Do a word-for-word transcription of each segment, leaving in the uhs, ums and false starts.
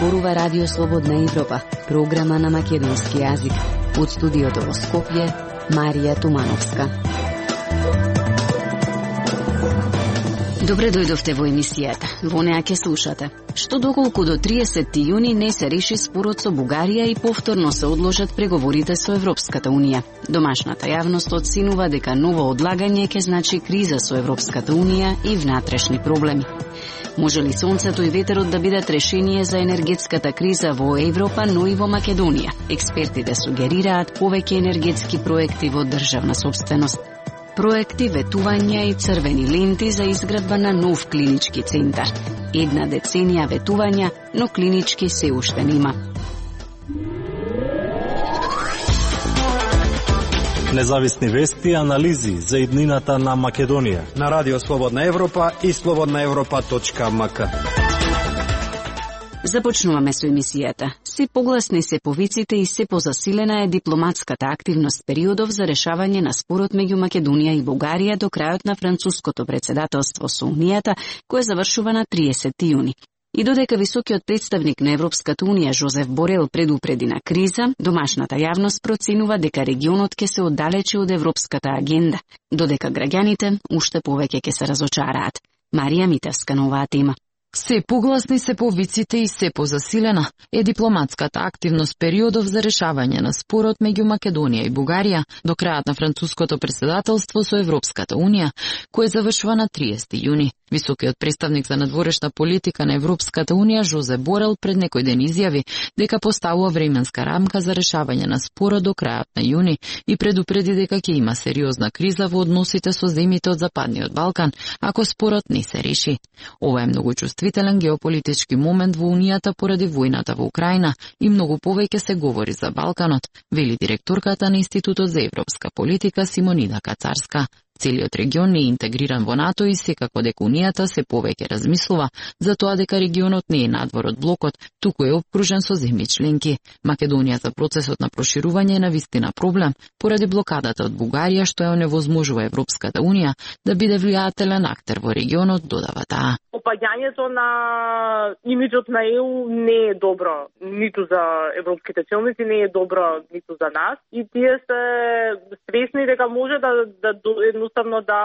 зборува Радио Слободна Европа, програма на македонски јазик. Од студиото во Скопје, Марија Тумановска. Добре дојдовте во емисијата. Во неа ќе слушате што доколку до триесетти јуни не се реши спорот со Бугарија и повторно се одложат преговорите со Европската Унија. Домашната јавност оценува дека ново одлагање ќе значи криза со Европската Унија и внатрешни проблеми. Може ли сонцето и ветерот да бидат решение за енергетската криза во Европа, но и во Македонија? Експертите сугерираат повеќе енергетски проекти во државна сопственост. Проекти, ветувања и црвени ленти за изградба на нов клинички центар. Една деценија ветувања, но клинички се уште нема. Независни вести и анализи за иднината на Македонија на Радио Слободна Европа и слободна европа точка ем ка. Започнуваме со емисијата. Се погласни се повиците и се позасилена е дипломатската активност периодов за решавање на спорот меѓу Македонија и Бугарија до крајот на француското председателство со Унијата, кое завршува на триесетти јуни. И додека високиот представник на Европската Унија Жозеф Борел предупреди на криза, домашната јавност проценува дека регионот ќе се оддалечи од европската агенда, додека граѓаните уште повеќе ќе се разочараат. Марија Митевска на оваа тема. Се погласни се повиците и се позасилена е дипломатската активност периодов за решавање на спорот меѓу Македонија и Бугарија до крајот на француското председателство со Европската Унија, кое завршува на триесетти јуни. Високиот представник за надворешна политика на Европската Унија Жозеп Борел пред некој ден изјави дека поставува временска рамка за решавање на спорот до крајот на јуни и предупреди дека ќе има сериозна криза во односите со земјите од Западниот Балкан ако спорот не се реши. Ова е многу чувствителен геополитички момент во Унијата поради војната во Украина и многу повеќе се говори за Балканот, вели директорката на Институтот за европска политика Симонида Кацарска. Целиот регион не е интегриран во НАТО и секако дека Унијата се повеќе размислува за тоа дека регионот не е надвор од блокот, туку е опкружен со земји членки. Македонија за процесот на проширување е навистина проблем поради блокадата од Бугарија што ја оневозможува Европската Унија да биде влијателен актер во регионот, додава таа. Опаѓањето на имиџот на ЕУ не е добро, ниту за европските челници, не е добро ниту за нас. И тие се свесни дека може да, да едноставно да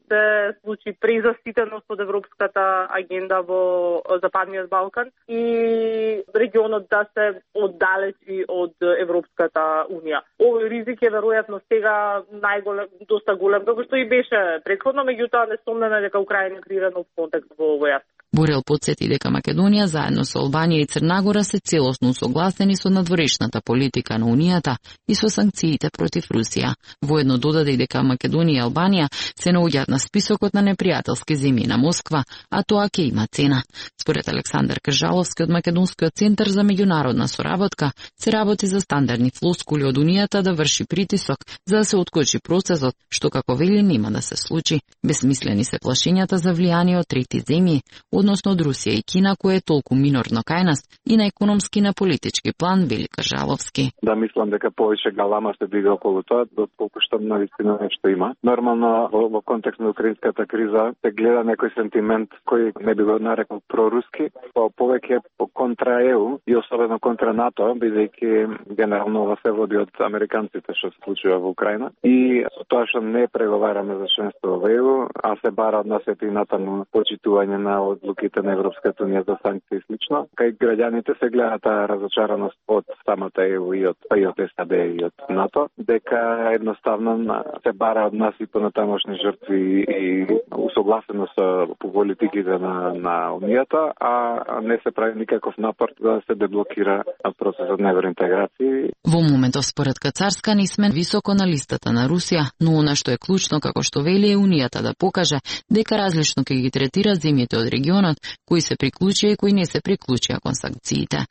се случи презаситеност од европската агенда во Западниот Балкан и регионот да се оддалечи од Европската Унија. Овој ризик е веројатно сега најголем, доста голем, како што и беше претходно, меѓутоа несомнено е дека Украина крива нов контекст во овој аспект. Борел потсети дека Македонија заедно со Албанија и Црнагора се целосно согласени со надворешната политика на Унијата и со санкциите против Русија. Воедно додаде и дека Македонија и Албанија се наоѓаат на списокот на непријателски земји на Москва, а тоа ќе има цена. Според Александар Кржаловски од Македонскиот центар за меѓународна соработка, се работи за стандардни флоскули од Унијата да врши притисок за да се откочи процесот, што како вели нема да се случи. Безсмислени се плашењата за влијание од трети земји, односно од Русија и Кина, кое е толку минорно кај нас и на економски и на политички план, вели Кржаловски. Да, мислам дека повеќе галама се дига околу тоа, доколку што навистина нешто има. Нормално во, во контекст на украинската криза се гледа некој сентимент кој не би го нарекол проруски, по повеќе по контра ЕУ и особено контра НАТО, бидејќи генерално ова се води од американците што се случува во Украина. И со тоа што не преговараме за членство во ЕУ, а се бара од нас и натаму почитување на одлуките на Европската Унија за санкции и слично, кај граѓаните се гледа таа разочараност од самата ЕУ и од, и од САД и од НАТО, дека едноставно се бара од нас и понатамошни жртви и усогласено со политиките на, на Унијата, а не се прави никаков напор да се деблокира процесот на евроинтеграција. Во моментов според Кацарска не сме високо на листата на Русија, но она што е клучно, како што вели, е Унијата да покаже дека различно ќе ги третира земјите од регионот, кои се приклучија и кои не се приклучија кон санкциите.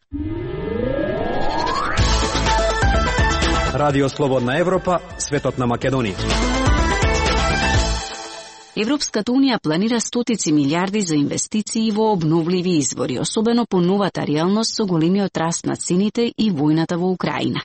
Радио Слободна Европа, светот на Македонија. Европската Унија планира стотици милиарди за инвестиции во обновливи извори, особено по новата реалност со големиот раст на цените и војната во Украина.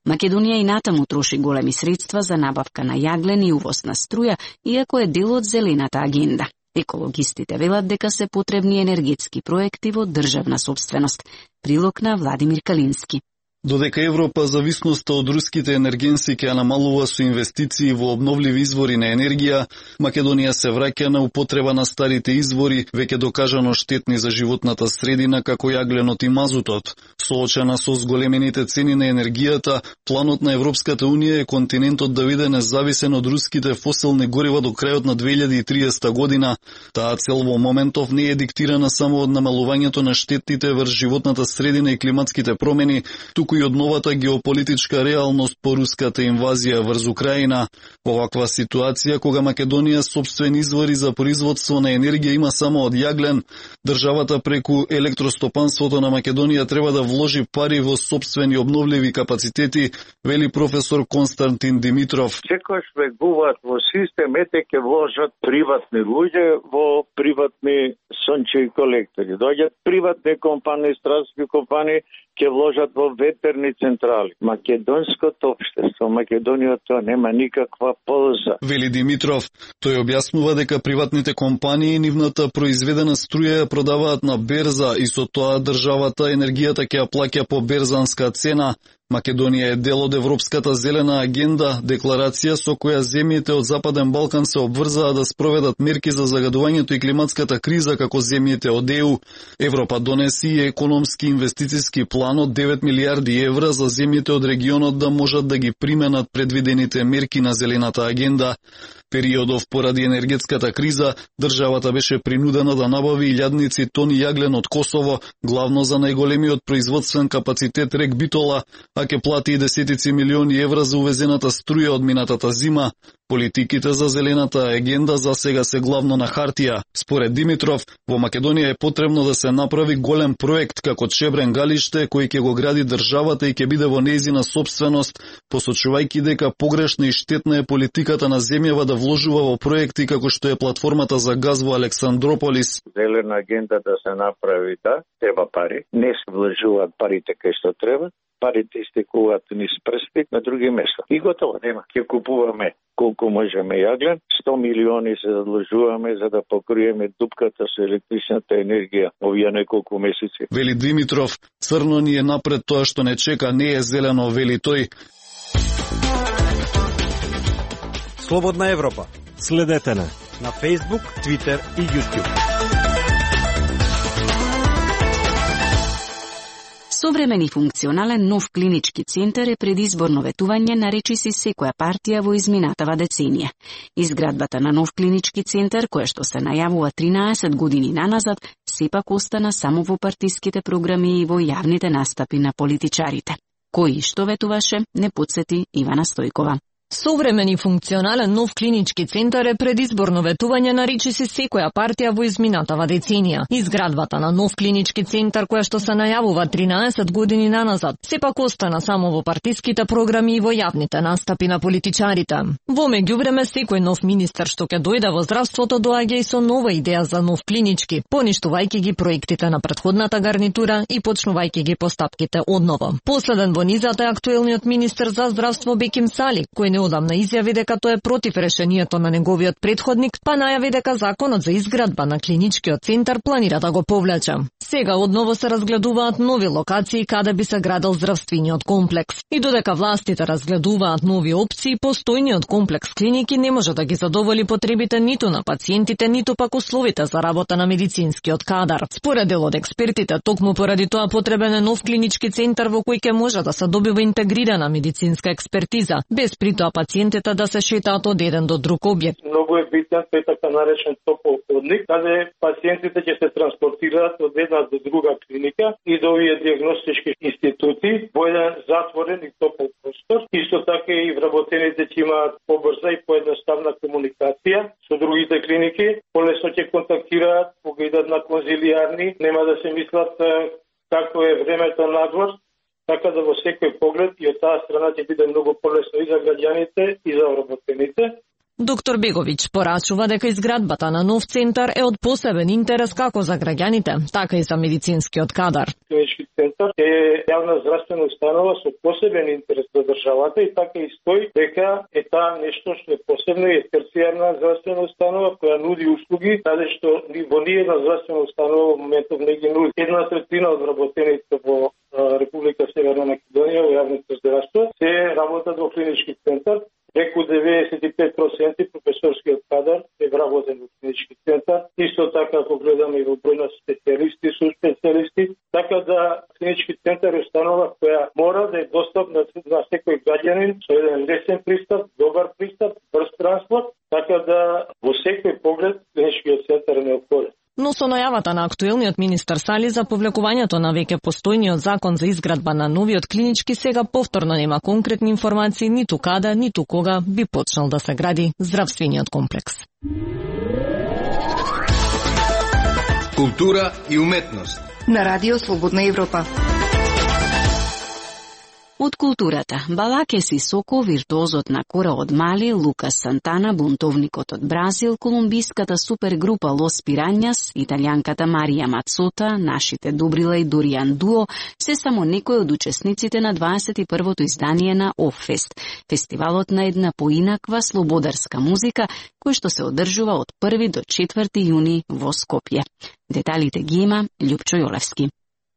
Македонија и натаму троши големи средства за набавка на јаглен и увоз на струја, иако е дел од зелената агенда. Екологистите велат дека се потребни енергетски проекти во државна сопственост. Прилог на Владимир Калински. Додека Европа зависноста од руските енергенси ќе намалува со инвестиции во обновливи извори на енергија, Македонија се враќа на употреба на старите извори, веќе докажано штетни за животната средина како јагленот и мазутот. Соочена со зголемените цени на енергијата, планот на Европската Унија е континентот да биде независен од руските фосилни горива до крајот на две илјади и триесета година. Таа цел во моментов не е диктирана само од намалувањето на штетите врз животната средина и климатските промени, туку и од новата геополитичка реалност по руската инвазија врз Украина. Во ваква ситуација, кога Македонија сопствени извори за производство на енергија има само од јаглен, државата преку електростопанството на Македонија треба да вложи пари во сопствени обновливи капацитети, вели професор Константин Димитров. Секојаш вегуваат во систем, ете ке вложат приватни луѓе во приватни сончеви колектори. Доаѓаат приватни компании, стратешки компании, ќе вложат во ветерни централи. Македонското општество, Македонија тоа нема никаква полза. Вели Димитров, тој објаснува дека приватните компании нивната произведена струја ја продаваат на берза и со тоа државата енергијата ќе ја плаќа по берзанска цена. Македонија е дел од Европската зелена агенда, декларација со која земјите од Западен Балкан се обврзаа да спроведат мерки за загадувањето и климатската криза како земјите од Е У. Европа донеси и економски инвестициски план од девет милијарди евра за земјите од регионот да можат да ги применат предвидените мерки на зелената агенда. Периодов поради енергетската криза, државата беше принудена да набави илјадници тони јаглен од Косово, главно за најголемиот производствен капацитет рек Битола, а ќе плати и десетици милиони евра за увезената струја од минатата зима. Политиките за зелената агенда за сега се главно на хартија. Според Димитров, во Македонија е потребно да се направи голем проект како Чебрен галиште, кој ќе го гради државата и ќе биде во нејзина сопственост, посочувајќи дека погрешна и штетна е политиката на земјава да вложува во проекти како што е платформата за газ во Александрополис. Зелена агенда да се направи, да, треба пари. Не се вложуваат парите кај што треба. Парите истекуваат низ прсти на други места. И готово, нема. Ќе купуваме колку можеме јаглен, сто милиони се задлужуваме за да покриеме дупката со електричната енергија овие неколку месеци. Вели Димитров, црно ни е напред, тоа што не чека не е зелено, вели тој. Слободна Европа. Следете не на Facebook, Twitter и YouTube. Современ и функционален нов клинички центар е предизборно ветување на речиси секоја партија во изминатава деценија. Изградбата на нов клинички центар, која што се најавува тринаесет години наназад, сепак остана само во партиските програми и во јавните настапи на политичарите. Кој и што ветуваше, не потсети Ивана Стојкова. Современ и функционален нов клинички центар е предизборно ветување на речиси секоја партија во изминатава деценија. Изградбата на нов клинички центар, која што се најавува тринаесет години наназад, сепак остана само во партиските програми и во јавните настапи на политичарите. Во меѓувреме, секој нов министер што ќе дојде во здравството доаѓа и со нова идеја за нов клинички, поништувајќи ги проектите на претходната гарнитура и почнувајќи ги постапките одново. Последен во низата е актуелниот министер за здравство Беким Сали, кој не одамна изјави дека тоа е против решението на неговиот претходник, па најави дека законот за изградба на клиничкиот центар планира да го повлече. Сега одново се разгледуваат нови локации каде би се градел здравствениот комплекс. И додека властите разгледуваат нови опции, постојниот комплекс клиники не може да ги задоволи потребите ниту на пациентите, ниту пак условите за работа на медицинскиот кадар. Според дел од експертите, токму поради тоа потребен е нов клинички центар во кој ќе може да се добива интегрирана медицинска експертиза, без при тоа пациентите да се шетаат од еден до друг објект. Многу е битен тој така наречен топол ходник, каде пациентите ќе се транспортираат од една до друга клиника и до овие диагностички институти во еден затворен и топол простор. Исто така и вработените ќе имаат побрза и поедноставна комуникација со другите клиники, полесно ќе контактираат, кога идат на конзилијарни, нема да се мислат како е времето надвор, така да во секој поглед и од таа страна ќе биде многу полесно и за граѓаните и за вработените. Доктор Беговиќ порачува дека изградбата на нов центар е од посебен интерес како за граѓаните, така и за медицинскиот кадар. Клинички центар е јавна здравствена установа со посебен интерес за државата и така и стои дека е таа нешто што е посебно и е терцијарна здравствена установа која нуди услуги, каде што во ниедна здравствена установа во моментов не ги нуди. Една третина од работените во Република Северна Македонија во јавното здравство се работат во клинички центар. Преку деветдесет и пет проценти професорскиот кадар е вработен во клинички центар. Исто така, ако гледаме и во број на специјалисти, со специјалисти, така да клинички центар е установа која мора да е достапна на секој граѓанин со еден лесен пристап, добар пристап, брз транспорт, така да во секој поглед клиничкиот центар е неопходен. Но со најавата на актуелниот министар Сали за повлекувањето на веќе постојниот закон за изградба на новиот клинички, сега повторно нема конкретни информации ниту када, ниту кога би почнал да се гради здравствениот комплекс. Култура и уметност на Радио Слободна Европа. Од културата, Балаке Сисоко, виртуозот на кора од Мали, Лукас Сантана, бунтовникот од Бразил, колумбиската супергрупа Лос Пиранјас, италијанката Марија Мацота, нашите Добрила и Доријан Дуо, се само некои од учесниците на дваесет и првото издание на Оффест, фестивалот на една поинаква слободарска музика, кој што се одржува од први до четврти јуни во Скопје. Деталите ги има Љупчо Јолевски.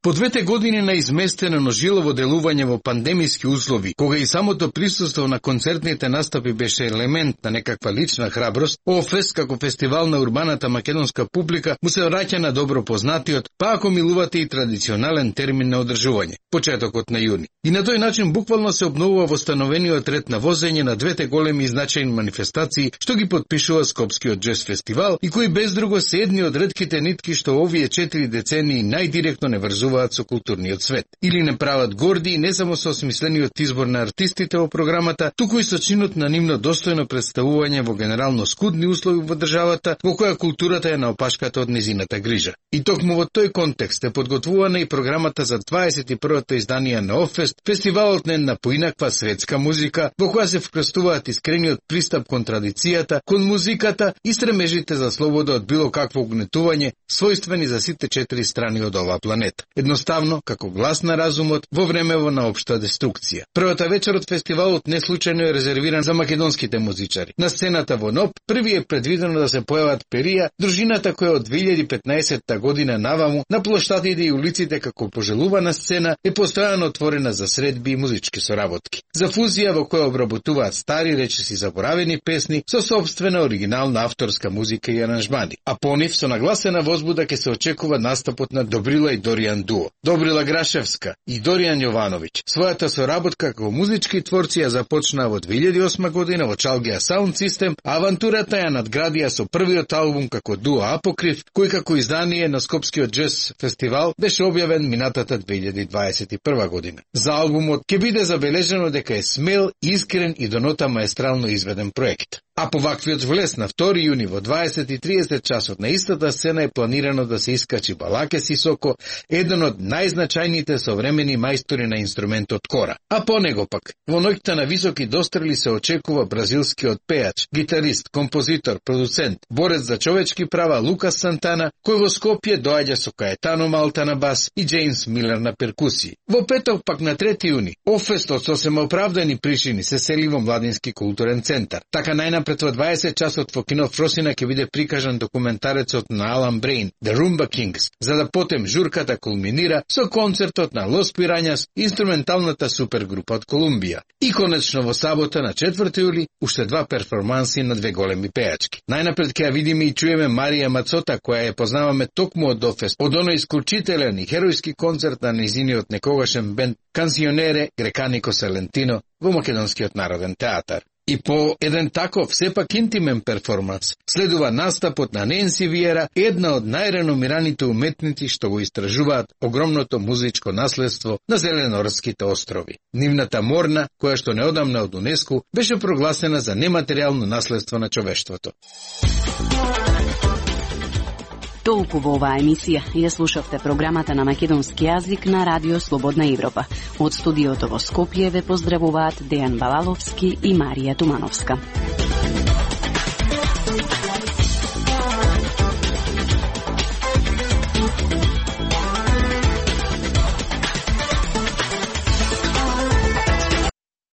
По двете години на изместено, но жилово делување во пандемиски услови, кога и самото присуство на концертните настапи беше елемент на некаква лична храброст, Офест како фестивал на урбаната македонска публика му се враќа на добро познатиот, па ако милувате и традиционален термин на одржување, почетокот на јуни. И на тој начин буквално се обновува востановениот ред на возење на двете големи и значајни манифестации што ги подпишува Скопскиот джез фестивал и кои без друго се едни од ретките нитки што овие четири децении најдиректно не врзуваат со културниот свет. Или не прават горди не само со осмислениот избор на артистите во програмата, туку и со чинот на нивно достојно представување во генерално скудни услови во државата, во која културата е на опашката од незината грижа. И токму во тој контекст е подготвувана и програмата за дваесет и првото издание на Оффест, фестивалот на една поинаква светска музика, во која се вкрстуваат искрениот пристап кон традицијата, кон музиката и стремежите за слобода од било какво угнетување, својствени за сите четири страни од оваа планета. Едноставно, како глас на разумот во времево на општа деструкција. Првата вечер од фестивалот не случајно е резервиран за македонските музичари. На сцената во НОП први е предвидено да се појават Перија, дружината која од две илјади и петнаесетта година наваму на плоштадите и улиците како пожелувана сцена е постојано отворена за средби и музички соработки. За фузија во која обработуваат стари речиси заборавени песни со собствена оригинална авторска музика и аранжмани. А по нив со нагласена возбуда ќе се очекува настапот на Добрила и Доријан Дуо. Добрила Грашевска и Доријан Јовановиќ својата соработка како музички творци ја започнаа во две илјади и осма година во Чалгија Sound System, а авантурата ја надградија со првиот албум како дуо Апокриф, кој како издание на Скопскиот джез фестивал беше објавен минатата две илјади дваесет и прва година. За албумот ќе биде забележено дека е смел, искрен и до нота маестрално изведен проект. А по ваквиот влез на втори јуни во дваесет и триесет часот на истата сцена е планирано да се искачи Балаке Сисоко, еден од најзначајните современи мајстори на инструментот кора. А по него пак, во ноќта на високи дострели се очекува бразилскиот пејач, гитарист, композитор, продуцент, борец за човечки права Лукас Сантана, кој во Скопје доаѓа со Каетано Малта на бас и Джеймс Милер на перкусии. Во петок пак на трети јуни, Оффест од сосема оправдани причини се сели во Младински културен центар. Така најнапред во дваесет часот во кино Фросина ќе биде прикажан документарецот на Алан Брейн, The Rumba Kings, за да потем журката кулминира со концертот на Лос Пирањас, инструменталната супергрупа од Колумбија. И конечно во сабота на четврти јули уште два перформанси на две големи пејачки. Најнапред ќе ја видиме и чуеме Марија Мацота, која ја познаваме токму од Оффест, од оној исклучителен и херојски концерт на нејзиниот некогашен бенд Канционере Греканико Салентино во Македонскиот народен театар. И по еден таков, сепак интимен перформанс, следува настапот на Ненси Виера, една од најреномираните уметници што го истражуваат огромното музичко наследство на Зеленорските острови. Нивната морна, која што неодамна од УНЕСКО, беше прогласена за нематеријално наследство на човештвото. Толку во оваа емисија. Ја слушавте програмата на македонски јазик на Радио Слободна Европа. Од студиото во Скопје ве поздравуваат Дејан Балаловски и Марија Тумановска.